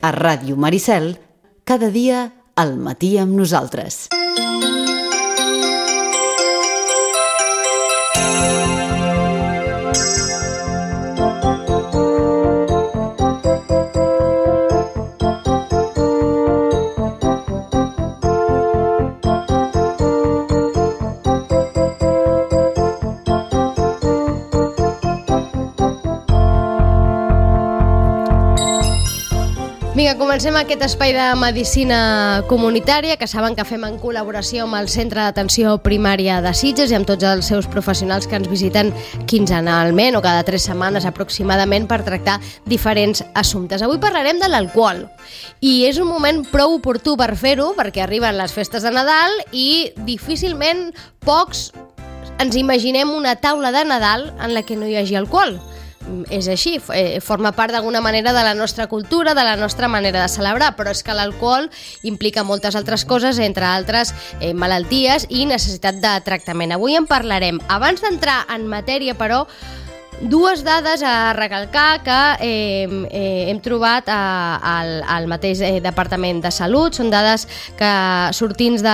A Ràdio Maricel, cada dia al matí amb nosaltres. Vinga, comencem aquest espai de medicina comunitària que saben que fem en col·laboració amb el Centre d'Atenció Primària de Sitges i amb tots els seus professionals que ens visiten quinzenalment o cada 3 setmanes aproximadament per tractar diferents assumptes. Avui parlarem de l'alcohol i és un moment prou oportú per fer-ho perquè arriben les festes de Nadal i difícilment pocs ens imaginem una taula de Nadal en la que no hi hagi alcohol. És així, forma part d'alguna manera de la nostra cultura, de la nostra manera de celebrar, però és que l'alcohol implica moltes altres coses, entre altres malalties i necessitat de tractament. Avui en parlarem. Abans d'entrar en matèria, però, dues dades a recalcar que hem trobat al mateix Departament de Salut. Són dades que sortins de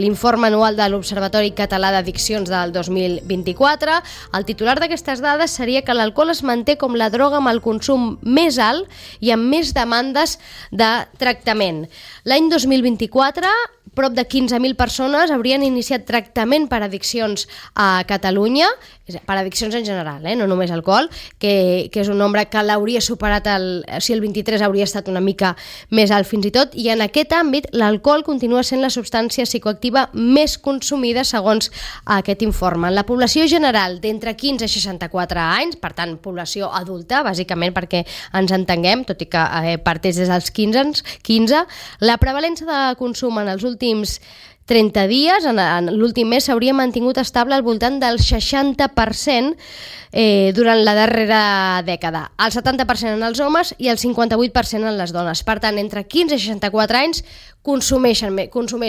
l'informe anual de l'Observatori Català d'Addiccions del 2024. El titular d'aquestes dades seria que l'alcohol es manté com la droga amb el consum més alt i amb més demandes de tractament. L'any 2024, prop de 15.000 persones haurien iniciat tractament per addiccions a Catalunya, per addiccions en general, no només alcohol, que és un nombre que l'hauria superat, si el 23 hauria estat una mica més alt fins i tot, i en aquest àmbit l'alcohol continua sent la substància psicoactiva més consumida segons aquest informe. En la població general d'entre 15 i 64 anys, per tant població adulta, bàsicament perquè ens entenguem, tot i que parteix des dels 15, la prevalença de consum en els últims 30 dies, en l'últim mes, s'hauria mantingut estable al voltant del 60% durant la darrera dècada. El 70% en els homes i el 58% en les dones. Per tant, entre 15 i 64 anys consumeix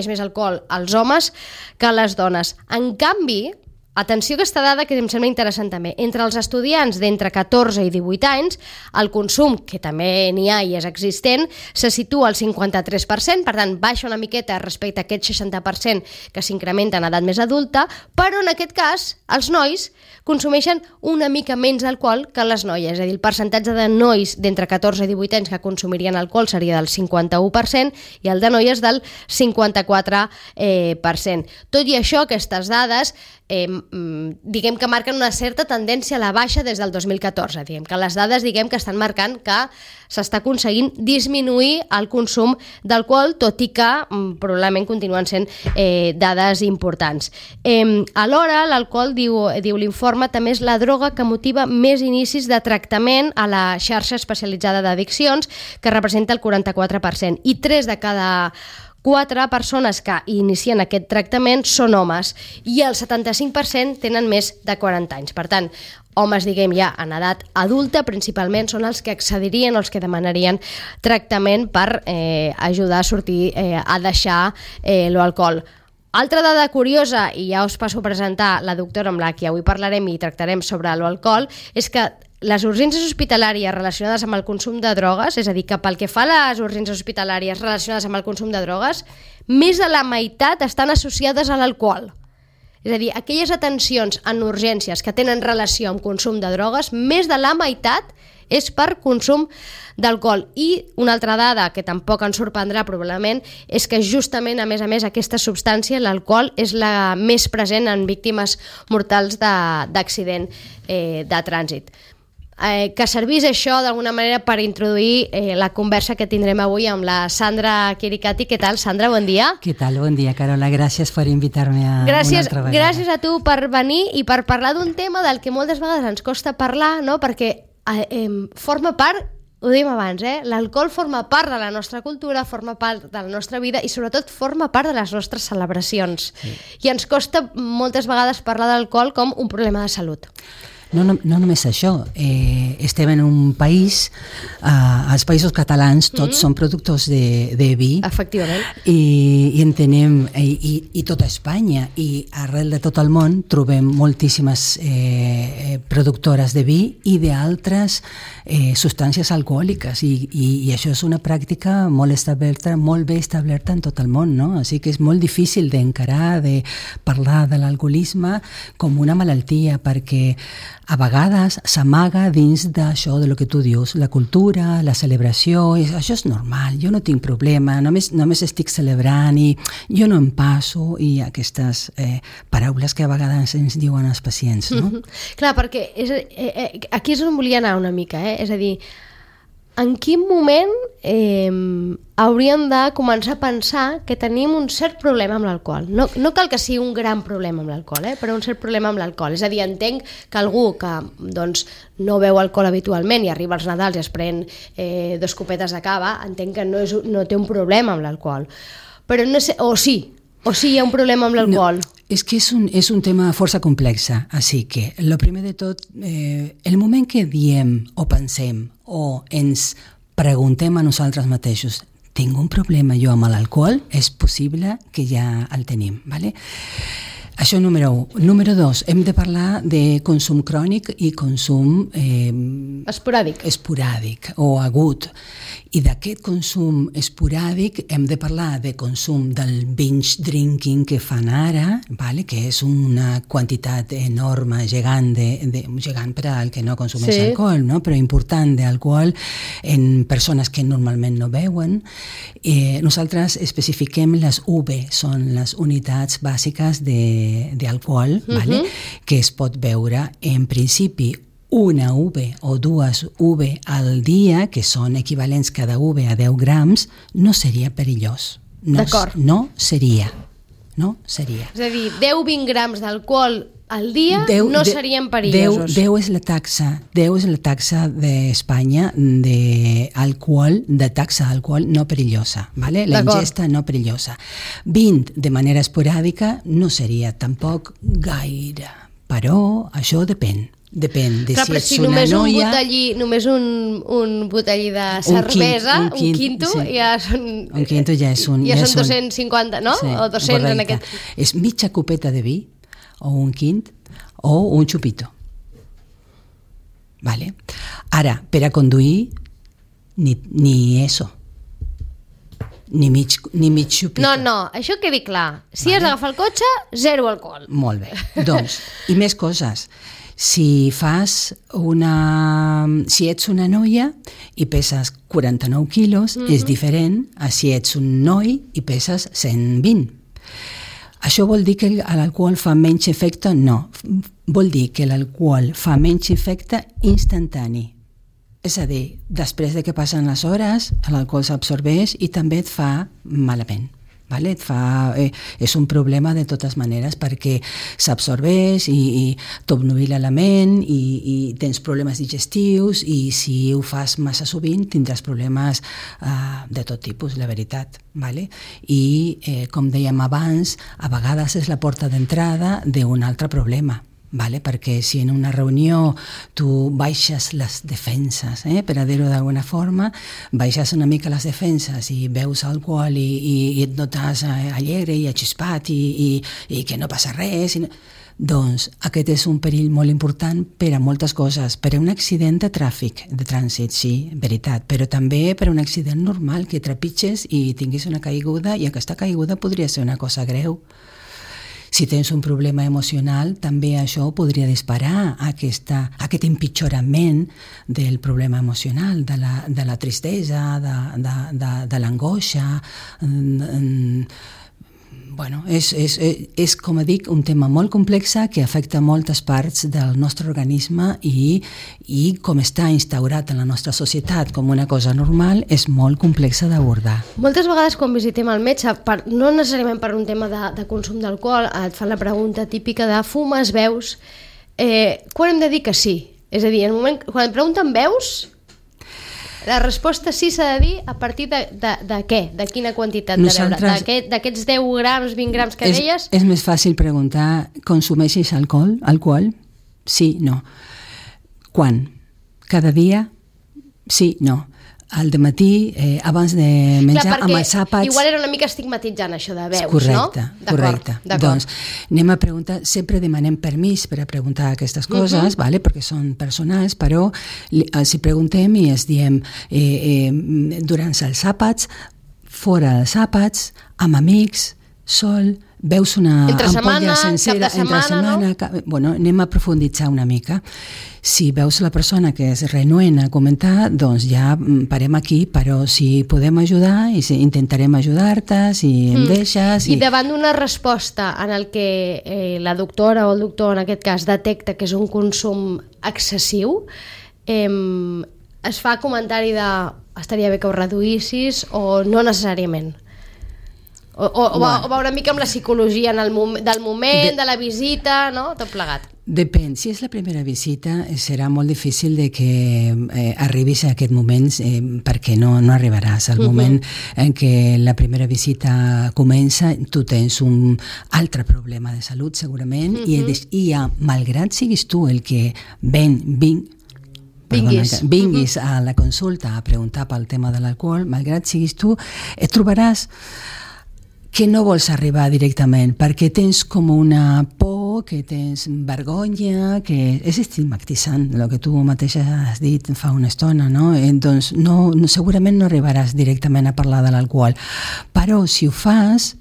més alcohol els homes que les dones. En canvi, atenció a aquesta dada que em sembla interessant també. Entre els estudiants d'entre 14 i 18 anys, el consum, que també n'hi ha i és existent, se situa al 53%, per tant, baixa una miqueta respecte a aquest 60% que s'incrementa en edat més adulta, però en aquest cas, els nois consumeixen una mica menys alcohol que les noies, és a dir, el percentatge de nois d'entre 14 i 18 anys que consumirien alcohol seria del 51% i el de noies del 54%. Tot i això, aquestes dades diguem que marquen una certa tendència a la baixa des del 2014. Diguem que les dades que estan marcant que s'està aconseguint disminuir el consum d'alcohol, tot i que probablement continuen sent dades importants. Alhora, l'alcohol, diu l'informe, també és la droga que motiva més inicis de tractament a la xarxa especialitzada d'addiccions, que representa el 44%, i 3 de cada 4 persones que inicien aquest tractament són homes i el 75% tenen més de 40 anys. Per tant, homes, ja en edat adulta, principalment són els que accedirien o els que demanarien tractament per ajudar a sortir, a deixar l'alcohol. Altra dada curiosa, i ja us passo a presentar la doctora amb la que avui parlarem i tractarem sobre l'alcohol, és que les urgències hospitalàries relacionades amb el consum de drogues, és a dir, que pel que fa a les urgències hospitalàries relacionades amb el consum de drogues, més de la meitat estan associades a l'alcohol. És a dir, aquelles atencions en urgències que tenen relació amb consum de drogues, més de la meitat és per consum d'alcohol. I una altra dada que tampoc ens sorprendrà probablement és que justament, a més, aquesta substància, l'alcohol, és la més present en víctimes mortals d'accident de trànsit. Que servís això d'alguna manera per introduir la conversa que tindrem avui amb la Sandra Chiricati. Què tal, Sandra? Bon dia. Què tal? Bon dia, Carola. Gràcies per invitar-me una altra vegada. Gràcies a tu per venir i per parlar d'un tema del que moltes vegades ens costa parlar, no? Perquè forma part, ho dèiem abans, l'alcohol forma part de la nostra cultura, forma part de la nostra vida i sobretot forma part de les nostres celebracions. Sí. I ens costa moltes vegades parlar d'alcohol com un problema de salut. no només això, estem en un país, els països catalans tots són productors de vi. Efectivament. I entenem, i tota Espanya, i arrel de tot el món trobem moltíssimes productores de vi i d'altres substàncies alcohòliques, i això és una pràctica molt bé establerta en tot el món, no? Així que és molt difícil d'encarar, de parlar de l'alcoholisme com una malaltia, perquè a vegades s'amaga dins d'això de lo que tu dius, la cultura, la celebració, això és normal, jo no tinc problema, només estic celebrant i jo no em passo, i aquestes paraules que a vegades ens diuen els pacients, no? Clar, perquè aquí és on volia anar una mica, és a dir, en quin moment hauríem de començar a pensar que tenim un cert problema amb l'alcohol? No cal que sigui un gran problema amb l'alcohol, però un cert problema amb l'alcohol. És a dir, entenc que algú que no beu alcohol habitualment i arriba als Nadals i es pren 2 copetes de cava, entenc que no té un problema amb l'alcohol. Però no sé, o sí hi ha un problema amb l'alcohol. No, és que és un tema força complex, així que, el primer de tot, el moment que diem o pensem o ens preguntem a nosaltres mateixos, tinc un problema jo amb l'alcohol, és possible que ja el tenim, ¿vale? Això número 1. Número 2, hem de parlar de consum crònic i consum esporàdic o agut. I d'aquest consum esporàdic hem de parlar de consum del binge drinking que fan ara, ¿vale? Que és una quantitat enorme, gegant per al que no consumeix alcohol, no? Però important d'alcohol en persones que normalment no beuen. Nosaltres especifiquem les UV, són les unitats bàsiques d'alcohol, ¿vale? Que es pot beure en principi una UV o 2 UV al dia, que són equivalents cada UV a 10 grams, no seria perillós. D'acord. No seria. És a dir, 10-20 grams d'alcohol al dia no serien perillosos. 10 és la taxa d'Espanya de taxa d'alcohol no perillosa, ¿vale? La ingesta no perillosa. 20 de manera esporàdica no seria tampoc gaire, però això depèn de si ets una noia... Només un botellí de cervesa, un quinto, ja són... Un quinto ja són 250, no? Sí, o 200 correcte. en aquest... És mitja copeta de vi, o un quint, o un xupito. Vale? Ara, per a conduir, ni eso. Ni mig xupito. No, això quedi clar. Si has d'agafar el cotxe, 0 alcohol. Molt bé. Doncs, i més coses. Si ets una noia i peses 49 quilos, és diferent a si ets un noi i peses 120. Això vol dir que l'alcohol fa menys efecte? No. Vol dir que l'alcohol fa menys efecte instantani. És a dir, després de que passen les hores, l'alcohol s'absorbeix i també et fa malament. Vale? És un problema de totes maneres perquè s'absorbeix i t'obnubila la ment i tens problemes digestius, i si ho fas massa sovint tindràs problemes de tot tipus, la veritat. Vale? I com dèiem abans, a vegades és la porta d'entrada d'un altre problema. Vale? Perquè si en una reunió tu baixes les defenses, per a dir-ho d'alguna forma, baixes una mica les defenses i beus alcohol i et notes alegre i achispat i que no passa res, doncs aquest és un perill molt important per a moltes coses, per a un accident de trànsit, sí, veritat, però també per a un accident normal, que trepitges i tinguis una caiguda, i aquesta caiguda podria ser una cosa greu. Si tens un problema emocional, també això podria disparar aquest empitjorament del problema emocional, de la tristesa, de l'angoixa. Bueno, és, com dic, un tema molt complex que afecta moltes parts del nostre organisme i com està instaurat en la nostra societat com una cosa normal, és molt complexa d'abordar. Moltes vegades quan visitem el metge, no necessàriament per un tema de consum d'alcohol, et fan la pregunta típica de fumes, beus, quan hem de dir que sí? És a dir, quan et pregunten beus, la resposta sí s'ha de dir a partir de què? De quina quantitat de beure? D'aquests 10 grams, 20 grams que deies? És més fàcil preguntar, consumeixes alcohol? Sí, no. Quan? Cada dia? Sí, no. Al dematí, abans de menjar, amb els àpats... Igual era una mica estigmatitzant això de veus, correcte, no? Correcte. Doncs anem a preguntar, sempre demanem permís per a preguntar aquestes coses, vale? Perquè són personals, però els hi preguntem i els diem durant els àpats, fora dels àpats, amb amics, sol, veus una ampolla sencera entre setmana, no? Bueno, anem a profunditzar una mica. Si veus la persona que és renuent a comentar, doncs ja parem aquí, però si podem ajudar i intentarem ajudar-te, si em deixes... I davant d'una resposta en el que la doctora o el doctor, en aquest cas, detecta que és un consum excessiu, es fa comentari de estaria bé que ho reduïssis o no necessàriament? O va una mica amb la psicologia del moment, de la visita, no? Tot plegat. Depèn. Si és la primera visita, serà molt difícil de que arribis a aquest moment perquè no arribaràs. Al moment en què la primera visita comença, tu tens un altre problema de salut, segurament, i malgrat siguis tu el que vinguis a la consulta a preguntar pel tema de l'alcohol, malgrat siguis tu, et trobaràs que no vols arribar directament perquè tens com una por, que tens vergonya, que és estigmatitzant, el que tu mateixa has dit fa una estona, no? Doncs segurament no arribaràs directament a parlar de l'alcohol, però si ho fas,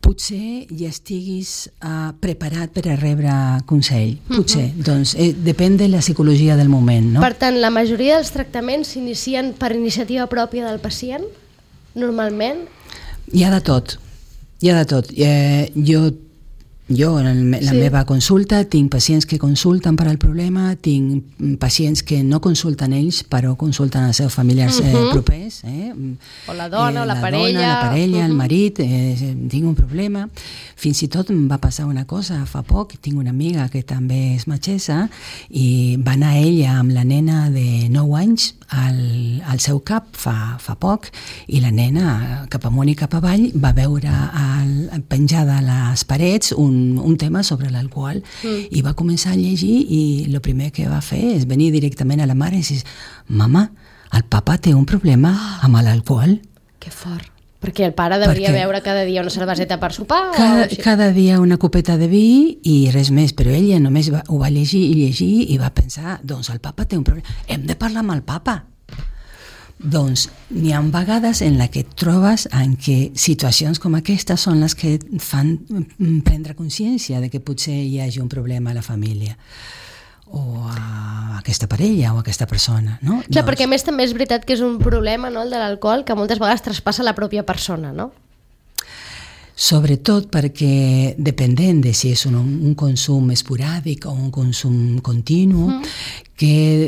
potser ja estiguis preparat per a rebre consell, potser. Doncs depèn de la psicologia del moment, no? Per tant, la majoria dels tractaments s'inicien per iniciativa pròpia del pacient, normalment? Hi ha de tot. Jo en la meva consulta tinc pacients que consulten per al problema, tinc pacients que no consulten ells però consulten els seus familiars propers, o la dona, o la parella, el marit, tinc un problema. Fins i tot em va passar una cosa fa poc, tinc una amiga que també és metgessa i va anar ella amb la nena de 9 anys al seu cap fa poc i la nena cap amunt i cap avall va veure penjada a les parets un tema sobre l'alcohol i va començar a llegir i el primer que va fer és venir directament a la mare i dir: mama, el papa té un problema amb l'alcohol. Que fort. Perquè el pare devia beure cada dia una cerveseta per sopar? Cada dia una copeta de vi i res més, però ella només ho va llegir i va pensar, doncs el papa té un problema, hem de parlar amb el papa. Doncs n'hi ha vegades en la que et trobes en què situacions com aquestes són les que et fan prendre consciència de que potser hi hagi un problema a la família o a aquesta parella o a aquesta persona, no? Clar, perquè a més també és veritat que és un problema, no, el de l'alcohol, que moltes vegades traspassa la pròpia persona, no? Sobretot perquè, dependent de si és un consum esporàdic o un consum continu, que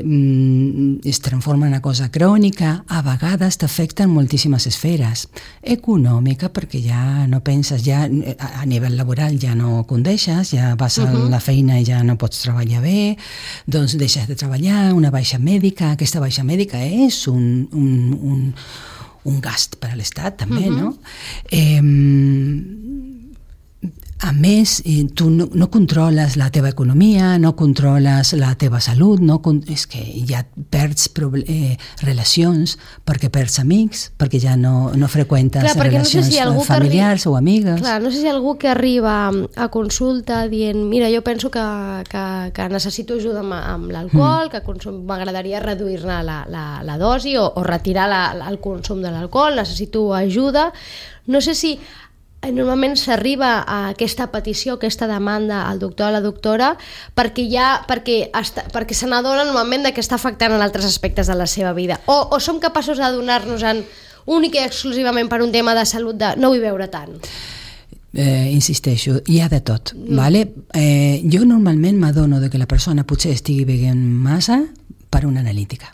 es transforma en una cosa crònica, a vegades t'afecten moltíssimes esferes. Econòmica, perquè ja no penses, ja a nivell laboral ja no condeixes, ja vas a la feina i ja no pots treballar bé, doncs deixes de treballar, una baixa mèdica, aquesta baixa mèdica és un gast per a l'Estat també, no? A més, tu no controles la teva economia, no controles la teva salut, és que ja perds relacions, perquè perds amics, perquè ja no freqüentes relacions familiars o amigues. Clar, no sé si algú que arriba a consulta dient, mira, jo penso que necessito ajuda amb l'alcohol, que m'agradaria reduir-ne la dosi o retirar el consum de l'alcohol, necessito ajuda. No sé si normalment s'arriba a aquesta petició, aquesta demanda al doctor o a la doctora perquè se n'adona normalment que està afectant en altres aspectes de la seva vida, o som capaços d'adonar-nos-en únic i exclusivament per un tema de salut de no vull beure tant? Insisteixo, hi ha de tot, vale? Jo normalment m'adono que la persona potser estigui beguent massa per una analítica.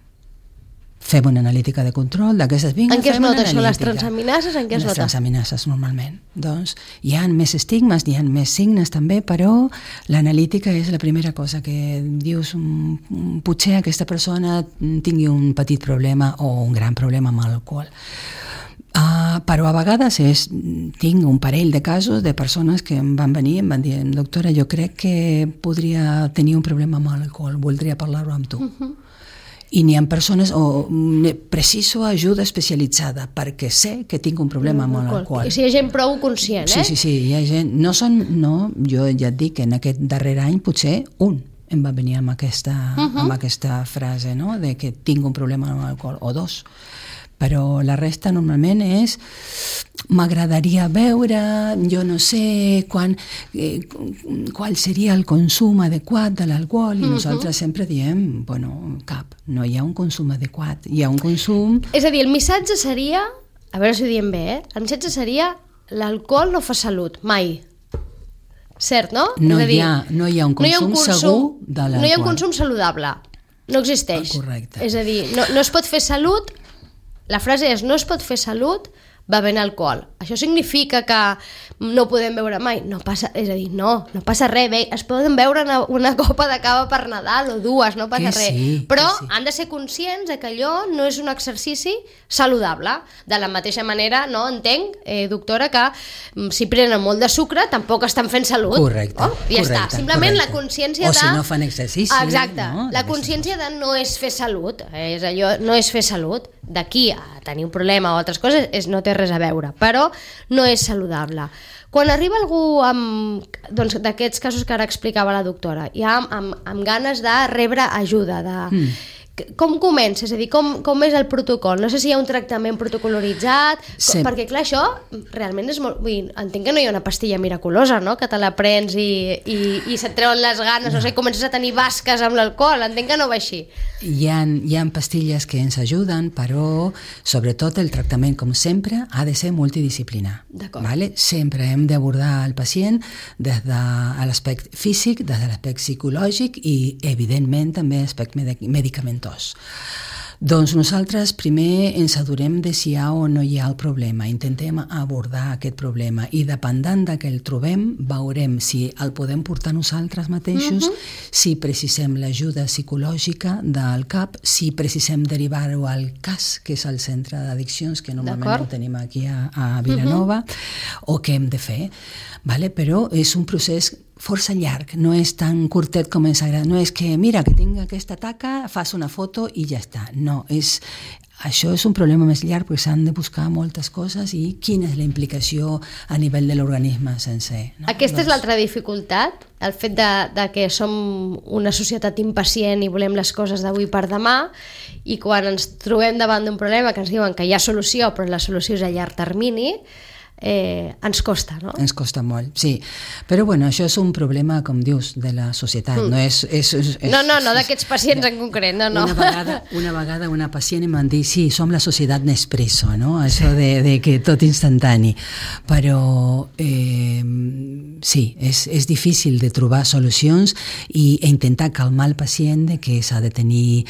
Fem una analítica de control d'aquestes vingues. En què es nota això? Les transaminases? En què es nota? Les transaminases, normalment. Doncs hi ha més estigmes, hi ha més signes també, però l'analítica és la primera cosa que dius, potser aquesta persona tingui un petit problema o un gran problema amb l'alcohol. Però a vegades tinc un parell de casos de persones que em van venir i em van dir, doctora, jo crec que podria tenir un problema amb l'alcohol, voldria parlar-ho amb tu. I n'hi ha persones, preciso ajuda especialitzada, perquè sé que tinc un problema amb l'alcohol. I si hi ha gent prou conscient, Sí, hi ha gent. Jo ja et dic que en aquest darrer any potser em va venir amb aquesta frase, no?, de que tinc un problema amb l'alcohol, o dos. Però la resta normalment és m'agradaria veure, jo no sé qual seria el consum adequat de l'alcohol, i nosaltres sempre diem, no hi ha un consum adequat, hi ha un consum... És a dir, el missatge seria, a veure si ho diem bé, el missatge seria l'alcohol no fa salut, mai. Cert, no? No hi ha un consum segur de l'alcohol. No hi ha un consum saludable, no existeix. Correcte. És a dir, no es pot fer salut. La frase és, no es pot fer salut bevent alcohol. Això significa que no podem beure mai? No passa, és a dir, no passa res. Bé, es poden beure una copa de cava per Nadal o dues, no passa res. Però han de ser conscients que allò no és un exercici saludable. De la mateixa manera, no entenc, doctora, que si prenen molt de sucre tampoc estan fent salut. Correcte. Ja està. Simplement la consciència de... O si no fan exercici. Exacte. La consciència de no és fer salut. És allò, no és fer salut. D'aquí a tenir un problema o altres coses no té res a veure, però no és saludable. Quan arriba algú d'aquests casos que ara explicava la doctora, ja amb ganes de rebre ajuda, com comença? És a dir, com és el protocol? No sé si hi ha un tractament protocoloritzat, perquè clar, això realment és molt... Entenc que no hi ha una pastilla miraculosa, no?, que te la prens i se't treuen les ganes, no sé, comences a tenir basques amb l'alcohol, entenc que no va així. Hi ha pastilles que ens ajuden, però sobretot el tractament, com sempre, ha de ser multidisciplinar. D'acord. Sempre hem d'abordar el pacient des de l'aspecte físic, des de l'aspecte psicològic i, evidentment, també l'aspecte medicamentós. Doncs nosaltres primer ens adonem de si hi ha o no hi ha el problema, intentem abordar aquest problema i dependent de que el trobem veurem si el podem portar nosaltres mateixos, si precisem l'ajuda psicològica del CAP, si precisem derivar-ho al CAS, que és el centre d'addiccions, que normalment ho tenim aquí a Vilanova, o què hem de fer, però és un procés força llarg, no és tan curtet com ens agrada, no és que mira que tinc aquesta taca, fas una foto i ja està, no, això és un problema més llarg perquè s'han de buscar moltes coses i quina és la implicació a nivell de l'organisme sencer. Aquesta és l'altra dificultat, el fet de que som una societat impacient i volem les coses d'avui per demà, i quan ens trobem davant d'un problema que ens diuen que hi ha solució però la solució és a llarg termini, ens costa, no? Ens costa molt, sí. Però bueno, això és un problema, com dius, de la societat. No d'aquests pacients en concret, no. Una vegada una pacient em va dir, sí, som la societat Nespresso, no? Això de que tot instantani. Però sí, és difícil de trobar solucions i intentar calmar el pacient de que s'ha de tenir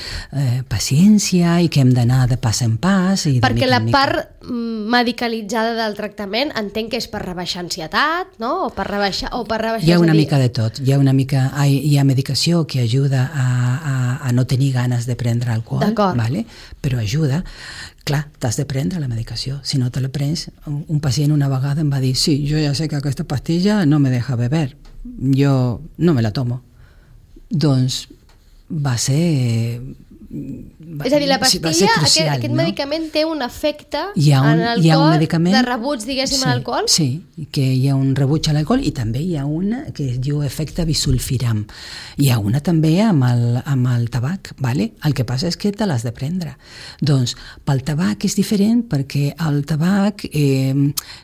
paciència i que hem d'anar de pas en pas. Perquè la part medicalitzada del tractament entenc que és per rebaixar ansietat, no? O per rebaixar... Hi ha una mica de tot. Hi ha medicació que ajuda a no tenir ganes de prendre alcohol, però ajuda. Clar, t'has de prendre la medicació. Si no te la prens, un pacient una vegada em va dir, sí, jo ja sé que aquesta pastilla no me deja beber, jo no me la tomo. Doncs va ser... És a dir, la pastilla, aquest medicament té un efecte en el cor de rebuig, diguéssim, a l'alcohol? Sí, que hi ha un rebuig a l'alcohol i també hi ha una que es diu efecte bisulfiram. Hi ha una també amb el tabac, el que passa és que te l'has de prendre. Doncs pel tabac és diferent perquè el tabac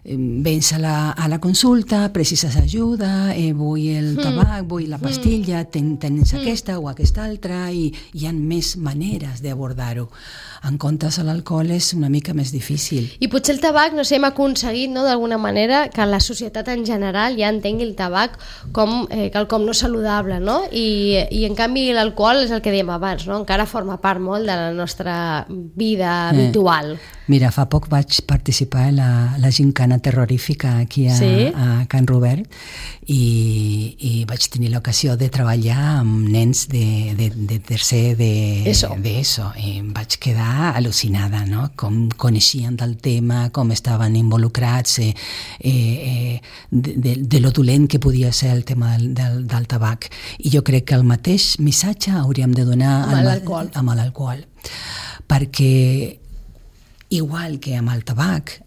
vens a la consulta, precises ajuda, vull el tabac, vull la pastilla, tens aquesta o aquesta altra i hi ha més maneres d'abordar-ho. En comptes a l'alcohol és una mica més difícil. I potser el tabac, no sé, hem aconseguit, no, d'alguna manera que la societat en general ja entengui el tabac com quelcom no saludable, no? I en canvi l'alcohol és el que dèiem abans, no? Encara forma part molt de la nostra vida habitual. Mira, fa poc vaig participar en la gincana terrorífica aquí a Can Robert i vaig tenir l'ocasió de treballar amb nens de tercer d'ESO i em vaig quedar al·lucinada, no? Com coneixien del tema, com estaven involucrats, de lo dolent que podia ser el tema del tabac. I jo crec que el mateix missatge hauríem de donar amb l'alcohol, perquè igual que amb el tabac,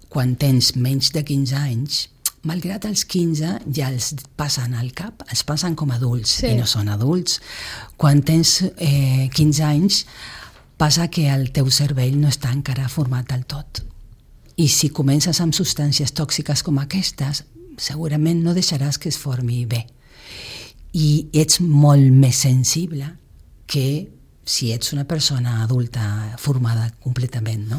quan tens menys de 15 anys, malgrat els 15 ja els passen al cap, els passen com adults i no són adults. Quan tens 15 anys passa que el teu cervell no està encara format del tot. I si comences amb substàncies tòxiques com aquestes, segurament no deixaràs que es formi bé. I ets molt més sensible que si ets una persona adulta formada completament, no?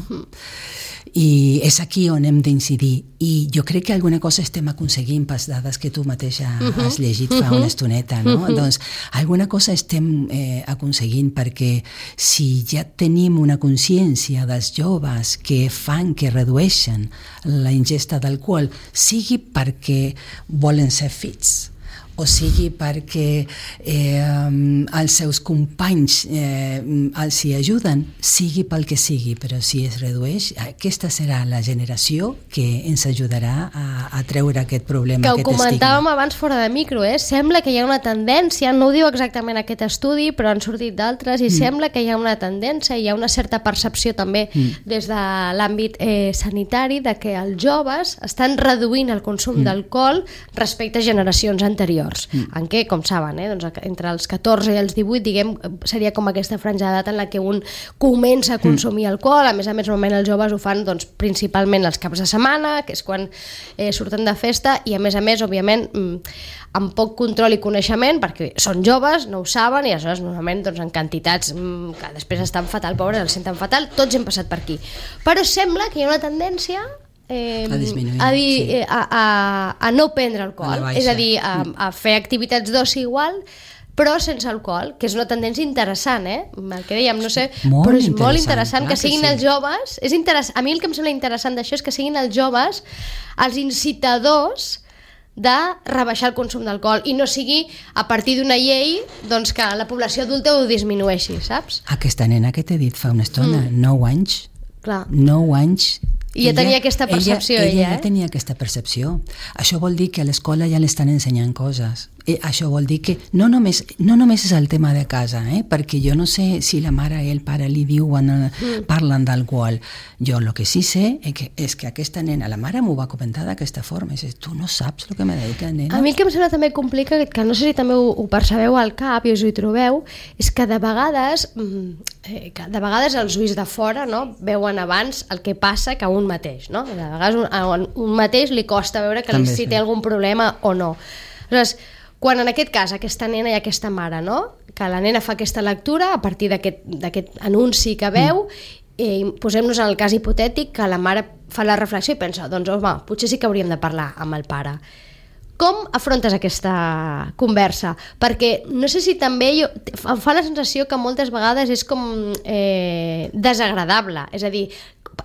I és aquí on hem d'incidir. I jo crec que alguna cosa estem aconseguint per les dades que tu mateixa has llegit fa una estoneta, no? Doncs alguna cosa estem aconseguint, perquè si ja tenim una consciència dels joves que fan que redueixen la ingesta d'alcohol, sigui perquè volen ser fits, o sigui perquè els seus companys els hi ajuden, sigui pel que sigui, però si es redueix, aquesta serà la generació que ens ajudarà a treure aquest problema, aquest estigma. Que ho comentàvem abans fora de micro, sembla que hi ha una tendència, no ho diu exactament aquest estudi, però han sortit d'altres, i sembla que hi ha una tendència, hi ha una certa percepció també des de l'àmbit sanitari de que els joves estan reduint el consum d'alcohol respecte a generacions anteriors. En què, com saben, doncs entre els 14 i els 18, diguem, seria com aquesta franja d'edat en la que un comença a consumir alcohol. A més, normalment els joves ho fan doncs, principalment els caps de setmana, que és quan surten de festa, i a més, òbviament, amb poc control i coneixement, perquè són joves, no ho saben, i aleshores normalment doncs, en quantitats que després estan fatal, pobres, els senten fatal, tots hem passat per aquí. Però sembla que hi ha una tendència a disminuir, a no prendre alcohol, és a dir, a fer activitats d'oci igual, però sense alcohol, que és una tendència interessant, el que dèiem, no sé, però és molt interessant que siguin els joves. A mi el que em sembla interessant d'això és que siguin els joves els incitadors de rebaixar el consum d'alcohol i no sigui a partir d'una llei doncs, que la població adulta ho disminueixi, saps? Aquesta nena que t'he dit fa una estona, 9 anys, clar. 9 anys, i ja tenia aquesta percepció, ella ja tenia aquesta percepció. Això vol dir que a l'escola ja l'estan ensenyant coses. Això vol dir que no només és el tema de casa, perquè jo no sé si la mare i el pare li diuen, parlen d'alcohol. Jo el que sí sé és que aquesta nena, la mare m'ho va comentar d'aquesta forma, i dius, tu no saps el que m'ha dit la nena. A mi el que em sembla també complicat, que no sé si també ho percebeu al cap i us hi trobeu, és que de vegades els ulls de fora, no, veuen abans el que passa que un mateix, no? De vegades a un mateix li costa veure que si té algun problema o no. Aleshores, quan en aquest cas aquesta nena i aquesta mare, no? Que la nena fa aquesta lectura a partir d'aquest anunci que veu, i posem-nos en el cas hipotètic que la mare fa la reflexió i pensa, doncs home, potser sí que hauríem de parlar amb el pare. Com afrontes aquesta conversa? Perquè no sé si també em fa la sensació que moltes vegades és com desagradable, és a dir,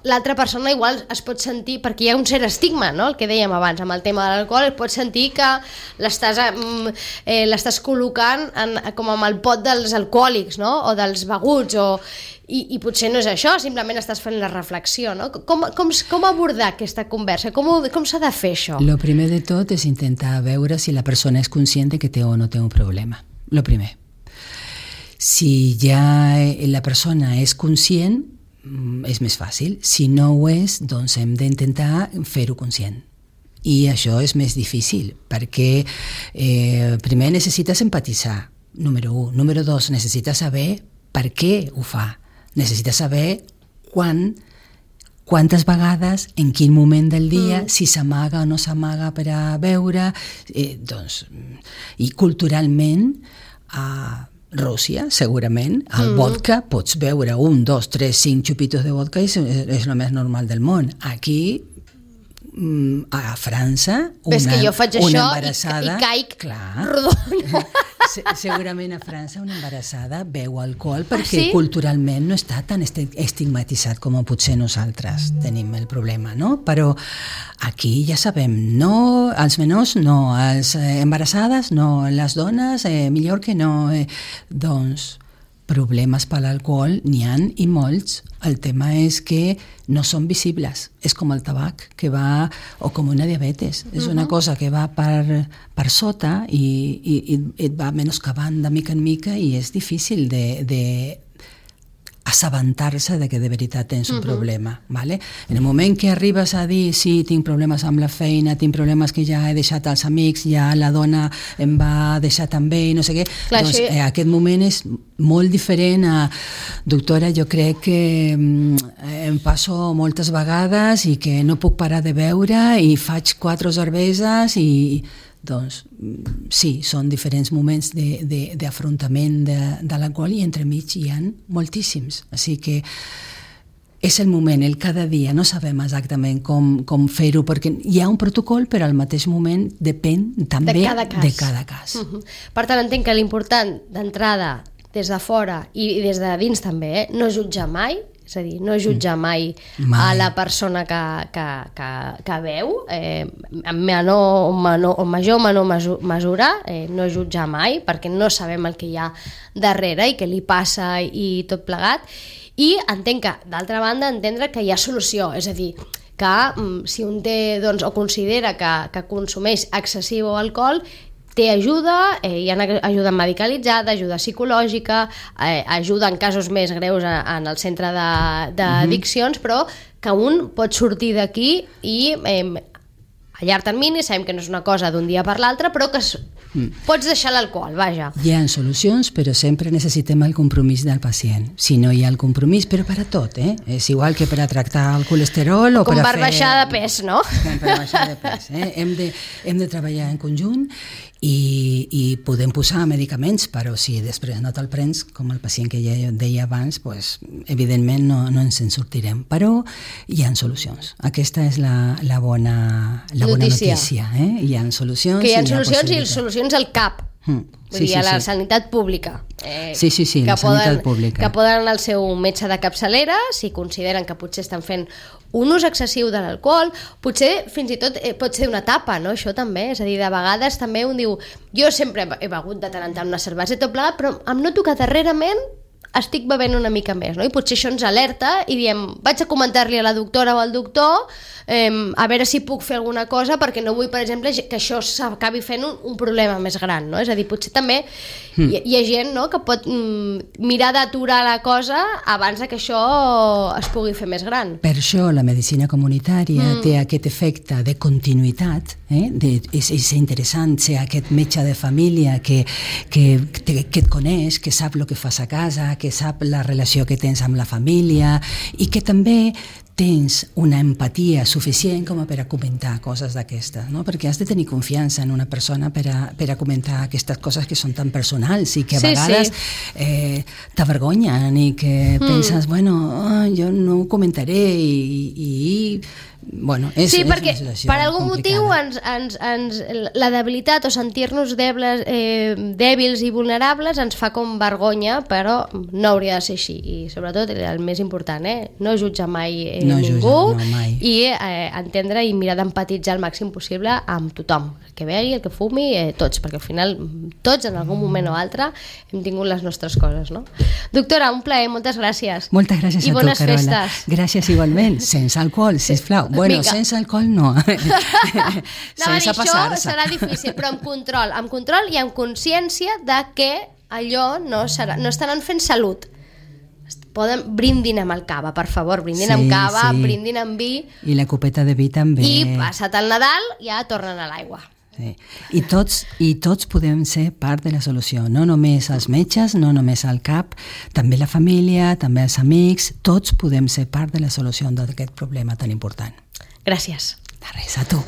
l'altra persona igual es pot sentir, perquè hi ha un cert estigma, no? El que dèiem abans amb el tema de l'alcohol, es pot sentir que l'estàs col·locant com amb el pot dels alcohòlics, no? O dels beguts, i potser no és això, simplement estàs fent la reflexió, no? Com abordar aquesta conversa? Com s'ha de fer això? Lo primer de tot és intentar veure si la persona és conscient que té o no té un problema. Lo primer. Si ja la persona és conscient, és més fàcil. Si no ho és, doncs hem d'intentar fer-ho conscient. I això és més difícil, perquè primer necessites empatitzar, número 1. Número 2, necessites saber per què ho fa. Necessites saber quantes vegades, en quin moment del dia, si s'amaga o no s'amaga per a beure. I culturalment, Rússia, segurament, el vodka, pots beure 1, 2, 3, 5 xupitos de vodka i és el més normal del món. Aquí, a França, una embarassada... i caic rodona. Segurament a França una embarassada beu alcohol perquè culturalment no està tan estigmatitzat com potser nosaltres tenim el problema, no? Però aquí ja sabem, no, els menors no, els embarassades no, les dones millor que no. Doncs problemes per l'alcohol n'hi ha i molts. El tema és que no són visibles. És com el tabac, que va, o com una diabetes. És una cosa que va per sota i et va menoscabant de mica en mica i és difícil de assabentar-se de que de veritat tens un problema. ¿vale? En el moment que arribes a dir sí, tinc problemes amb la feina, tinc problemes que ja he deixat els amics, ja la dona em va deixar també i no sé què, clar, doncs aquest moment és molt diferent a doctora, jo crec que em passo moltes vegades i que no puc parar de beure i faig 4 cerveses i doncs sí, són diferents moments d'afrontament de l'alcohol i entremig hi ha moltíssims. Així que és el moment, el cada dia, no sabem exactament com fer-ho, perquè hi ha un protocol, però al mateix moment depèn també de cada cas. Per tant, entenc que l'important d'entrada des de fora i des de dins també, no jutjar mai, és a dir, no jutjar mai a la persona que veu, en major o menor mesura, no jutjar mai, perquè no sabem el que hi ha darrere i què li passa i tot plegat. I entenc que, d'altra banda, entendre que hi ha solució, és a dir, que si un té, doncs, o considera que consumeix excessiu alcohol, té ajuda, hi ha ajuda medicalitzada, ajuda psicològica, ajuda en casos més greus en el centre d'addiccions, però que un pot sortir d'aquí i a llarg termini, sabem que no és una cosa d'un dia per l'altre, però que pots deixar l'alcohol, vaja. Hi ha solucions, però sempre necessitem el compromís del pacient. Si no hi ha el compromís, però per a tot, és igual que per a tractar el colesterol o com per a fer... baixar de pes, no? Com per baixar de pes, Hem de treballar en conjunt i podem posar medicaments, però si després no te'l prens, com el pacient que ja deia abans, pues, evidentment no ens en sortirem. Però hi ha solucions. Aquesta és la bona notícia. Hi ha solucions. Que hi ha solucions i solucions al CAP. Vull dir, a la sanitat pública. Sí, la sanitat pública. Que poden anar al seu metge de capçalera si consideren que potser estan fent un ús excessiu de l'alcohol, potser fins i tot pot ser una etapa, no? Això també, és a dir, de vegades també un diu, jo sempre he begut de tant en tant una cervesa i tot plegat, però em noto que darrerament estic bevent una mica més, no? I potser això ens alerta i diem, vaig a comentar-li a la doctora o al doctor a veure si puc fer alguna cosa perquè no vull, per exemple, que això s'acabi fent un problema més gran, no? És a dir, potser també hi ha gent, no?, que pot mirar d'aturar la cosa abans que això es pugui fer més gran. Per això la medicina comunitària té aquest efecte de continuïtat, és interessant ser aquest metge de família que et coneix, que sap el que fas a casa, que sap la relació que tens amb la família i que també tens una empatia suficient com per a comentar coses d'aquestes, no? Perquè has de tenir confiança en una persona per a comentar aquestes coses que són tan personals i que a vegades t'avergonyen i que penses, bueno, jo no ho comentaré i bueno, és perquè per algun motiu la debilitat o sentir-nos dèbils i vulnerables ens fa com vergonya, però no hauria de ser així. I sobretot, el més important, no jutjar mai ningú i entendre i mirar d'empatitzar el màxim possible amb tothom, el que begui, el que fumi, tots, perquè al final tots en algun moment o altre hem tingut les nostres coses, no? Doctora, un plaer, moltes gràcies. Moltes gràcies a tu, Carola. I bones festes. Gràcies igualment, sense alcohol, sisplau. Bueno, sense alcohol no. Sense passar-se. Això serà difícil, però amb control i amb consciència de que allò no estaran fent salut. Brindin amb el cava, per favor, brindin amb cava, brindin amb vi. I la copeta de vi també. I passat el Nadal ja tornen a l'aigua. Sí. I tots podem ser part de la solució, no només els metges, no només el CAP, també la família, també els amics, tots podem ser part de la solució d'aquest problema tan important. Gràcies. De res, a tu.